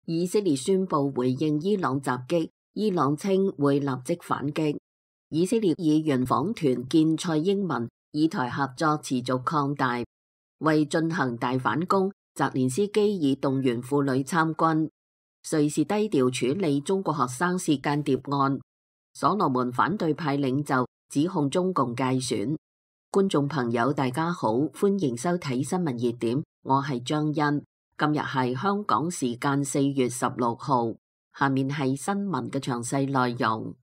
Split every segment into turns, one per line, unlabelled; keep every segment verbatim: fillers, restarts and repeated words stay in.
以色列宣布回應伊朗襲擊，伊朗稱會立即反擊。以色列議員訪團見蔡英文，以台合作持續擴大。為進行大反攻，澤連斯基已動員婦女參軍。瑞士低調處理中國學生是間諜案。所羅門反對派領袖指控中共介選。觀眾朋友大家好，歡迎收睇新聞熱點，我係張欣。今日係香港時間四月十六號，下面係新聞嘅詳細內容。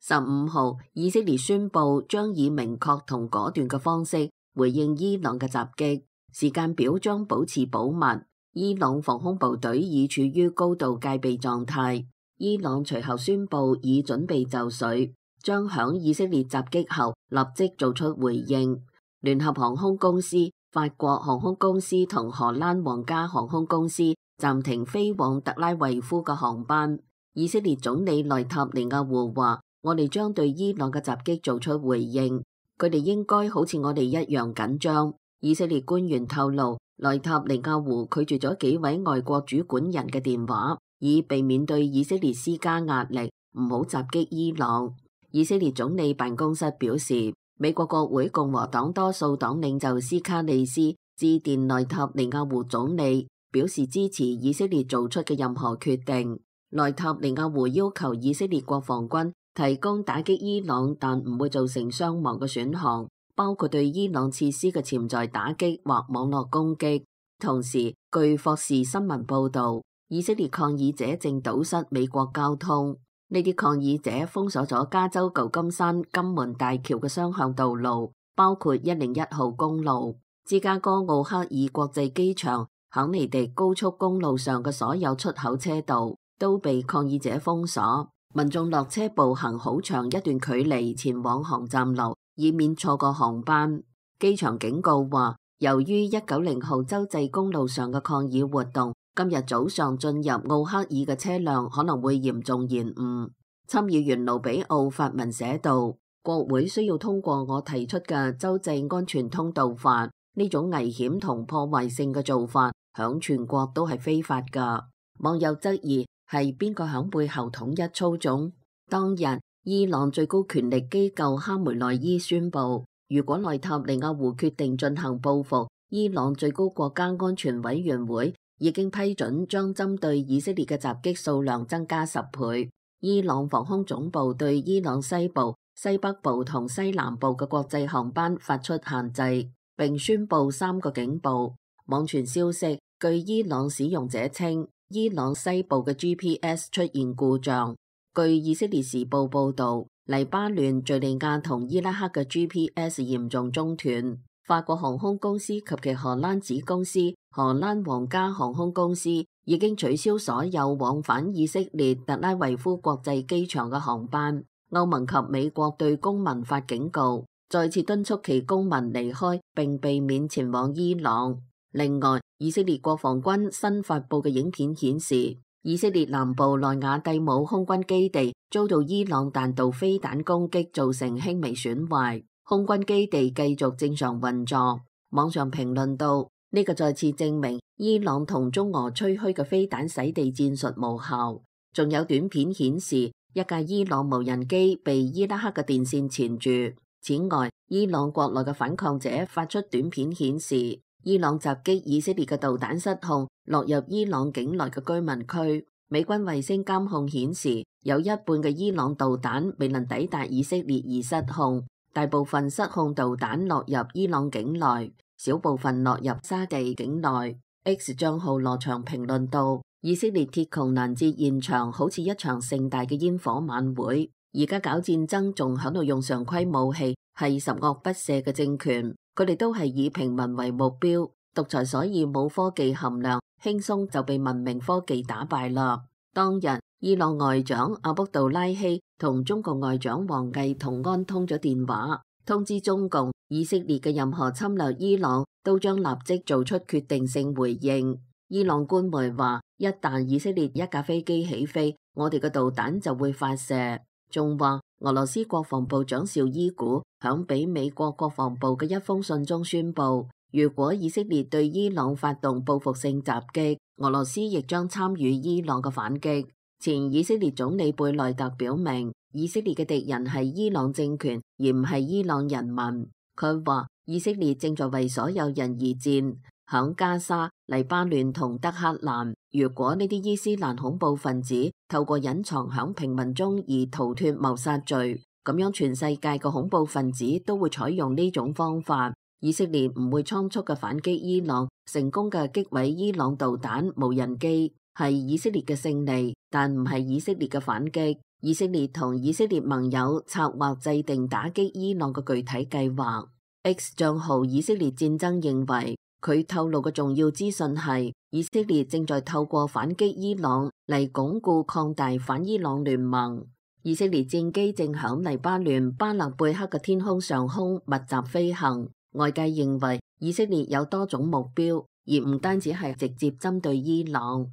十五號，以色列宣布將以明確同果斷嘅方式回應伊朗嘅襲擊，時間表將保持保密。伊朗防空部隊已處於高度戒備狀態。伊朗隨後宣布已準備就緒，將響以色列襲擊後立即做出回應。聯合航空公司、法國航空公司同荷蘭皇家航空公司暫停飛往特拉維夫嘅航班。以色列總理內塔尼亞胡話：我哋將對伊朗嘅襲擊做出回應，佢哋應該好似我哋一樣緊張。以色列官員透露，內塔尼亞胡拒絕咗幾位外國主管人嘅電話，以避免對以色列施加壓力，唔好襲擊伊朗。以色列總理辦公室表示，美國國會共和黨多數黨領袖斯卡利斯致電內塔尼亞胡總理，表示支持以色列做出嘅任何決定。內塔尼亞胡要求以色列國防軍提供打擊伊朗但唔會造成傷亡嘅選項，包括對伊朗設施嘅潛在打擊或網絡攻擊。同時，據霍士新聞報導，以色列抗議者正堵塞美國交通。呢啲抗議者封鎖咗加州舊金山金門大橋嘅雙向道路，包括一零一號公路、芝加哥奧克爾國際機場、肯尼迪高速公路上嘅所有出口車道都被抗議者封鎖。民眾落車步行好長一段距離前往航站樓，以免錯過航班。機場警告話，由於一九零號州際公路上嘅抗議活動，今日早上進入奧克爾嘅車輛可能會嚴重延誤。參議員盧比奧發文寫道，國會需要通過我提出嘅州際安全通道法，呢種危險同破壞性嘅做法響全國都係非法㗎。網友質疑係邊個響背後統一操縱？當日，伊朗最高權力機構哈梅內伊宣布，如果內塔尼亞胡決定進行報復，伊朗最高國家安全委員會已經批准將針對以色列嘅襲擊數量增加十倍。伊朗防空總部對伊朗西部、西北部同西南部嘅國際航班發出限制，並宣布三個警報。網傳消息，據伊朗使用者稱，伊朗西部嘅 G P S 出現故障。據以色列時報報導，黎巴嫩、敘利亞同伊拉克嘅 G P S 嚴重中斷。法國航空公司及其荷蘭子公司荷蘭皇家航空公司已經取消所有往返以色列特拉維夫國際機場嘅航班。歐盟及美國對公民發警告，再次敦促其公民離開並避免前往伊朗。另外，以色列國防軍新發布嘅影片顯示，以色列南部內瓦蒂姆空軍基地遭到伊朗彈道飛彈攻擊，造成輕微損壞。空軍基地繼續正常運作。網上評論到，呢個再次證明伊朗同中俄吹噓嘅飛彈洗地戰術無效。仲有短片顯示，一架伊朗無人機被伊拉克嘅電線纏住。此外，伊朗國內嘅反抗者發出短片顯示，伊朗襲擊以色列嘅導彈失控，落入伊朗境內嘅居民區。美軍衛星監控顯示，有一半嘅伊朗導彈未能抵達以色列而失控。大部分失控導彈落入伊朗境內，小部分落入沙地境內。X 賬號羅翔評論道，以色列鐵穹攔截現場好似一場盛大嘅煙火晚會，而家搞戰爭仲喺度用常規武器，係十惡不赦嘅政權。佢哋都係以平民為目標，獨裁所以冇科技含量，輕鬆就被文明科技打敗啦。當日，伊朗外長阿卜杜拉希同中國外長王毅同安通咗電話，通知中共以色列嘅任何侵略伊朗都將立即做出決定性回應。伊朗官媒話，一旦以色列一架飛機起飛，我哋嘅導彈就會發射。仲話俄羅斯國防部長紹伊古響俾美國國防部嘅一封信中宣布，如果以色列對伊朗發動報復性襲擊，俄羅斯亦將參與伊朗嘅反擊。前以色列總理貝內特表明，以色列嘅敵人係伊朗政權，而唔係伊朗人民。佢話以色列正在為所有人而戰，響加沙、黎巴嫩同德黑蘭。如果呢啲伊斯蘭恐怖分子透過隱藏響平民中而逃脫謀殺罪，咁樣全世界嘅恐怖分子都會採用呢種方法。以色列唔會倉促嘅反擊伊朗，成功嘅擊毀伊朗導彈、無人機，係以色列嘅勝利，但唔係以色列嘅反擊。以色列同以色列盟友策劃制定打擊伊朗嘅具體計劃。X 賬號以色列戰爭認為，佢透露嘅重要資訊係，以色列正在透過反擊伊朗嚟鞏固擴大反伊朗聯盟。以色列戰機正響黎巴嫩巴勒貝克嘅天空上空密集飛行。外界認為以色列有多種目標，而唔單止係直接針對伊朗。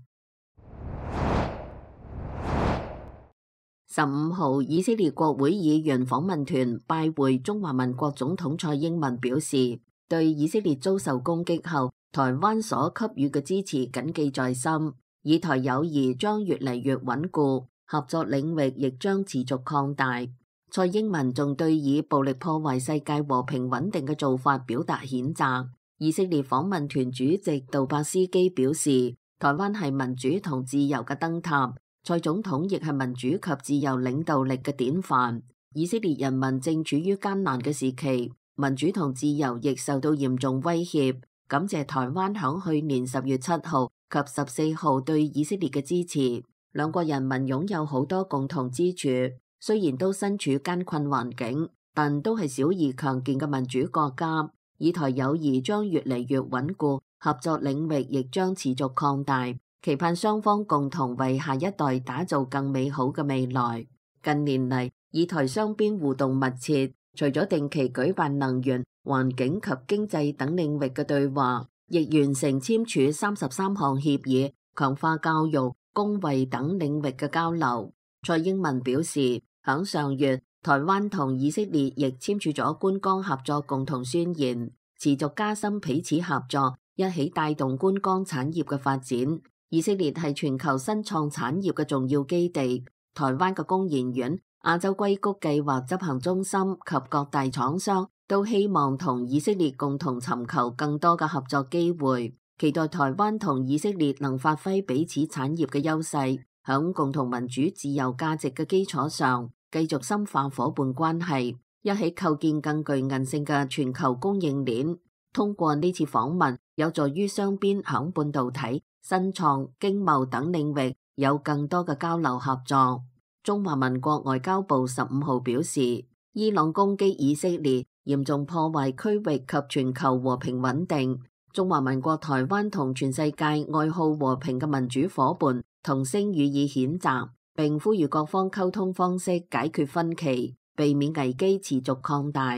十五號，以色列國會議員訪問團拜會中華民國總統蔡英文，表示對以色列遭受攻擊後台灣所給予嘅支持謹記在心，以台友誼將越嚟越穩固，合作領域亦將持續擴大。蔡英文仲對以暴力破壞世界和平穩定嘅做法表達譴責。以色列訪問團主席杜伯斯基表示，台灣係民主同自由嘅燈塔，蔡總統亦係民主及自由領導力嘅典範。以色列人民正處於艱難嘅時期，民主同自由亦受到嚴重威脅。感謝台灣響去年十月七號及十四號對以色列嘅支持，兩國人民擁有好多共同之處。雖然都身處艱困環境，但都係小而強健嘅民主國家。以台友誼將越嚟越穩固，合作領域亦將持續擴大，期盼雙方共同為下一代打造更美好嘅未來。近年嚟，以台雙邊互動密切，除咗定期舉辦能源、環境及經濟等領域嘅對話，亦完成簽署三十三項協議，強化教育、公衛等領域嘅交流。蔡英文表示，響上月，台灣同以色列亦簽署咗觀光合作共同宣言，持續加深彼此合作，一起帶動觀光產業嘅發展。以色列係全球新創產業嘅重要基地，台灣嘅工研院、亞洲硅谷計劃執行中心及各大廠商都希望同以色列共同尋求更多嘅合作機會，期待台灣同以色列能發揮彼此產業嘅優勢，響共同民主自由價值嘅基礎上，繼續深化夥伴關係，一起構建更具韌性嘅全球供應鏈。通過呢次訪問，有助於雙邊響半導體、新創、經貿等領域有更多嘅交流合作。中華民國外交部十五號表示，伊朗攻擊以色列，嚴重破壞區域及全球和平穩定。中華民國台灣同全世界愛好和平嘅民主夥伴同聲予以譴責，並呼籲各方溝通方式解決分歧，避免危機持續擴大。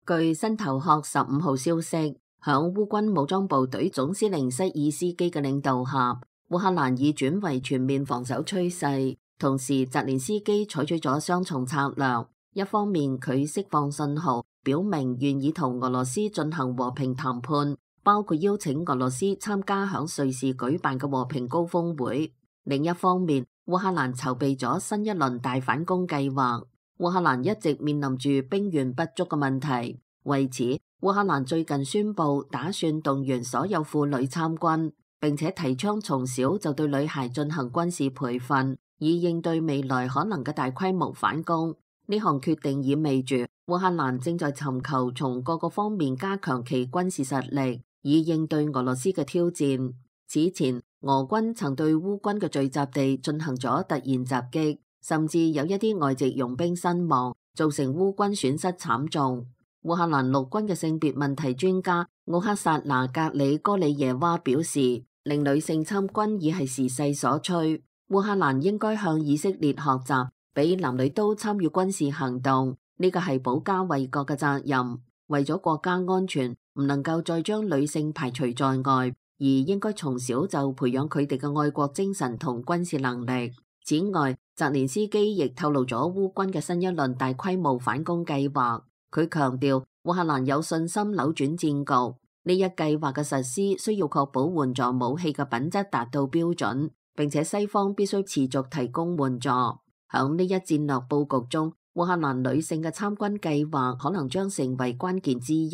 據新頭殼十五號消息，響烏軍武裝部隊總司令塞爾斯基嘅領導下，烏克蘭已轉為全面防守趨勢。同時，澤連斯基採取咗雙重策略，一方面佢釋放信號，表明願意同俄羅斯進行和平談判，包括邀請俄羅斯參加響瑞士舉辦嘅和平高峰會。另一方面，烏克蘭籌備咗新一輪大反攻計劃。烏克蘭一直面臨住兵源不足嘅問題，為此，烏克蘭最近宣布打算動員所有婦女參軍，並且提倡從小就對女孩進行軍事培訓，以應對未來可能嘅大規模反攻。呢項決定意味住烏克蘭正在尋求從各個方面加強其軍事實力，以應對俄羅斯嘅挑戰。此前，俄軍曾對烏軍嘅聚集地進行咗突然襲擊，甚至有一啲外籍傭兵身亡，造成烏軍損失慘重。烏克蘭陸軍嘅性別問題專家奧克薩拿格里哥里耶娃表示，令女性參軍已係時勢所趨。烏克蘭應該向以色列學習，俾男女都參與軍事行動，呢個係保家衛國嘅責任。為咗國家安全，唔能夠再將女性排除在外，而應該從小就培養佢哋嘅愛國精神同軍事能力。此外，澤連斯基亦透露咗烏軍嘅新一輪大規模反攻計劃。佢強調烏克蘭有信心扭轉戰局，呢一計劃嘅實施需要確保援助武器嘅品質達到標準，並且西方必須持續提供援助。響呢一戰略佈局中，烏克蘭女性嘅參軍計劃可能將成為關鍵之一。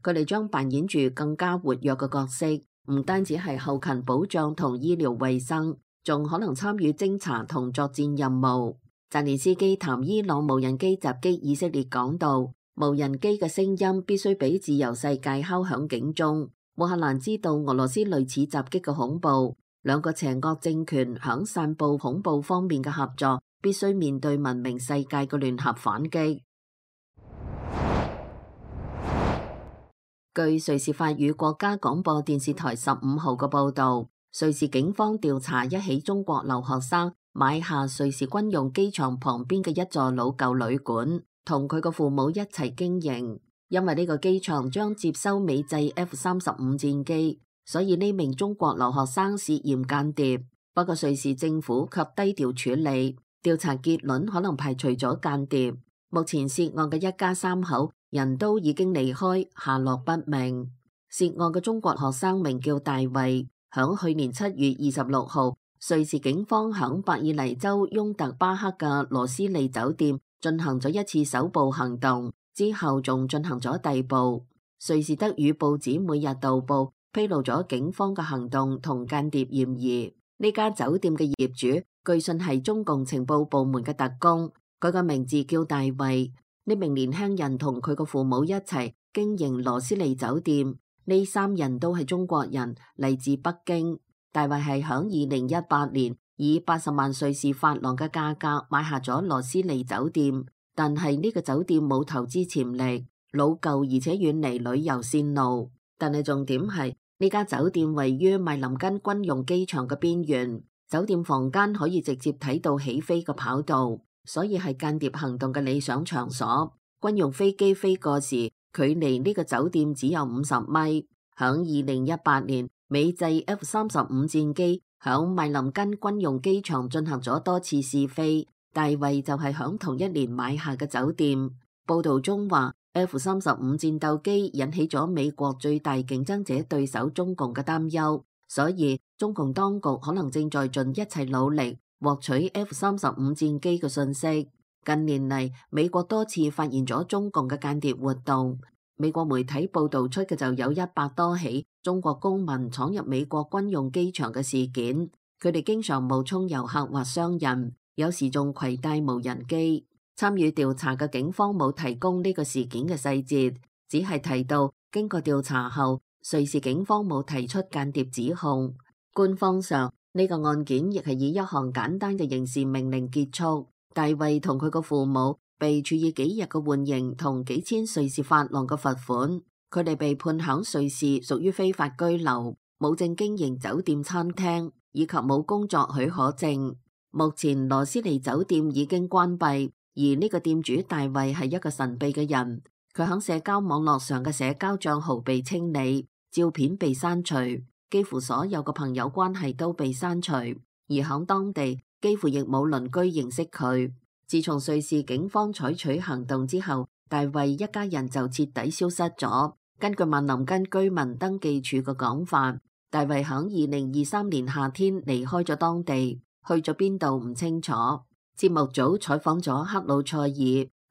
佢哋將扮演住更加活躍嘅角色，唔單止係後勤保障同醫療衛生，仲可能參與偵查同作戰任務。澤連斯基談伊朗無人機襲擊以色列講道，無人機嘅聲音必須俾自由世界敲響警鐘。烏克蘭知道俄羅斯類似襲擊嘅恐怖，兩個邪惡政權響散佈恐怖方面嘅合作，必須面對文明世界嘅聯合反擊。據瑞士法語國家廣播電視台十五號嘅報導，瑞士警方調查一起中國留學生買下瑞士軍用機場旁邊嘅一座老舊旅館，同佢嘅父母一齊經營。因為呢個機場將接收美製 F 三十五戰機，所以呢名中國留學生涉嫌間諜。不過瑞士政府卻低調處理，調查結論可能排除咗間諜。目前涉案嘅一家三口人都已經離開，下落不明。涉案嘅中國學生名叫大衛，響去年七月二十六號，瑞士警方響伯爾尼州雍特巴克嘅羅斯利酒店進行咗一次搜捕行動，之後仲進行咗逮捕。瑞士德語報紙每日導報披露咗警方嘅行動同間諜嫌疑。呢家酒店嘅業主據信係中共情報部門嘅特工，佢個名字叫大衛。呢名年輕人同佢個父母一齊經營羅斯利酒店，呢三人都係中國人，嚟自北京。大衛係響二零一八年以八十萬瑞士法郎嘅價格買下咗羅斯利酒店，但係呢個酒店冇投資潛力，老舊而且遠離旅遊線路。但係重點係呢家酒店位於麥林根軍用機場嘅邊緣，酒店房間可以直接睇到起飛嘅跑道，所以係間諜行動嘅理想場所。軍用飛機飛過時，距離呢個酒店只有五十米。響二零一八年，美製 F 三十五戰機響麥林根軍用機場進行咗多次試飛，大衛就係響同一年買下嘅酒店。報道中話 F 三十五戰鬥機引起咗美國最大競爭者對手中共嘅擔憂，所以中共當局可能正在盡一切努力獲取 F 三十五戰機嘅信息。近年嚟，美國多次發現咗中共嘅間諜活動。美國媒體報道出嘅就有一百多起中國公民闖入美國軍用機場嘅事件。佢哋經常冒充遊客或商人，有時仲攜帶無人機。參與調查嘅警方冇提供呢個事件嘅細節，只係提到經過調查後，瑞士警方冇提出間諜指控。官方上呢個案件亦係以一項簡單嘅刑事命令結束。大衛同佢個父母被處以幾日嘅緩刑同幾千瑞士法郎嘅罰款。佢哋被判響瑞士屬於非法居留，冇證經營酒店餐廳，以及冇工作許可證。目前羅斯利酒店已經關閉，而呢個店主大衛係一個神秘嘅人。佢響社交網絡上嘅社交賬號被清理，照片被刪除，幾乎所有嘅朋友關係都被刪除，而響當地幾乎亦冇鄰居認識佢。自從瑞士警方採取行動之後，大衛一家人就徹底消失咗。根據曼林根居民登記處嘅講法，大衛響二零二三年夏天離開咗當地，去咗邊度唔清楚。節目組採訪咗克魯塞爾，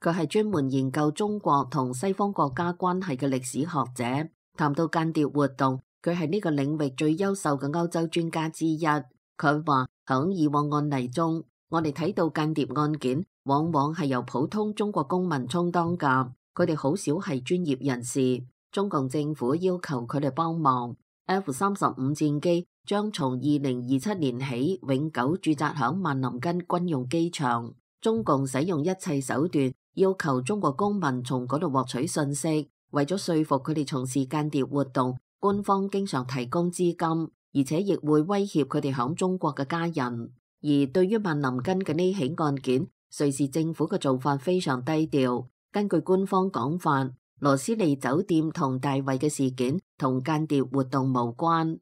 佢係專門研究中國同西方國家關係嘅歷史學者。談到間諜活動，佢係呢個領域最優秀嘅歐洲專家之一。佢話響以往案例中，我哋睇到間諜案件往往係由普通中國公民充當㗎，佢哋好少係專業人士。中共政府要求佢哋幫忙。F 三十五戰機將從二零二七年起永久駐紮響曼林根軍用機場。中共使用一切手段要求中國公民從嗰度獲取信息，為咗說服佢哋從事間諜活動，官方經常提供資金，而且亦會威脅佢哋響中國嘅家人。而對於曼林根嘅呢起案件，瑞士政府嘅做法非常低調。根據官方講法，羅斯利酒店同大衛嘅事件同間諜活動無關。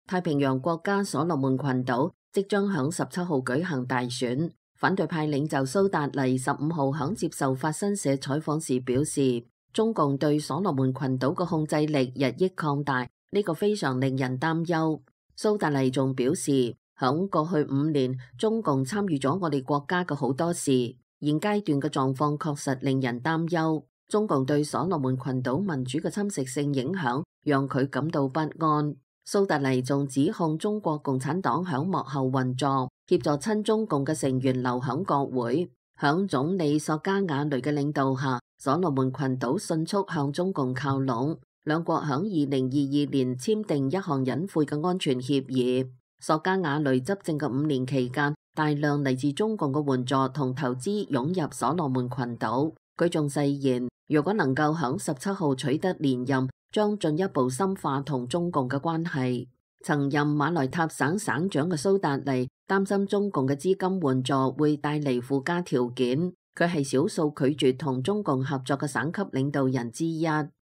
太平洋國家所羅門群島即將響十七號舉行大選，反對派領袖蘇達黎十五號響接受法新社採訪時表示，中共對所羅門群島嘅控制力日益擴大，呢個非常令人擔憂。蘇達黎仲表示，響過去五年，中共參與咗我哋國家嘅好多事，現階段嘅狀況確實令人擔憂。中共對所羅門群島民主嘅侵蝕性影響，讓佢感到不安。蘇達黎仲指控中國共產黨響幕後運作，協助親中共嘅成員留響國會。響總理索加瓦雷嘅領導下，所羅門群島迅速向中共靠攏。兩國響二零二二年簽訂一項隱晦嘅安全協議。索加瓦雷執政嘅五年期間，大量嚟自中共嘅援助同投資湧入所羅門群島。佢仲誓言，如果能夠響十七號取得連任，將進一步深化同中共嘅關係。曾任馬來塔省省長嘅蘇達黎擔心中共嘅資金援助會帶嚟附加條件。佢係少數拒絕同中共合作嘅省級領導人之一。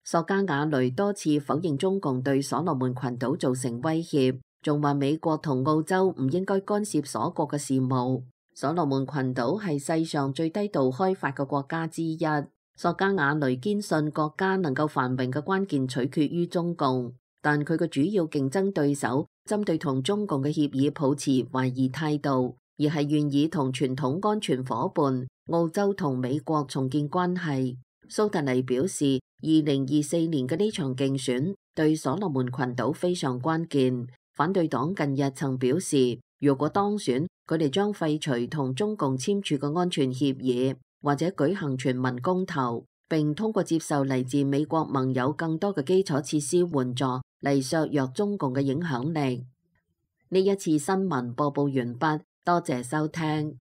索加瓦雷多次否認中共對所羅門群島造成威脅，仲話美國同澳洲唔應該干涉所國嘅事務。所羅門群島係世上最低度開發嘅國家之一。索加瓦雷堅信國家能夠繁榮嘅關鍵取決於中共，但佢嘅主要競爭對手針對同中共嘅協議抱持懷疑態度，而係願意同傳統安全夥伴澳洲同美國重建關係。蘇達黎表示，二零二四年嘅呢場競選對所羅門群島非常關鍵。反對黨近日曾表示，如果當選，佢哋將廢除同中共簽署嘅安全協議，或者舉行全民公投，並通過接受嚟自美國盟友更多嘅基礎設施援助嚟削弱中共嘅影響力。呢一次新聞播報完畢，多謝收聽。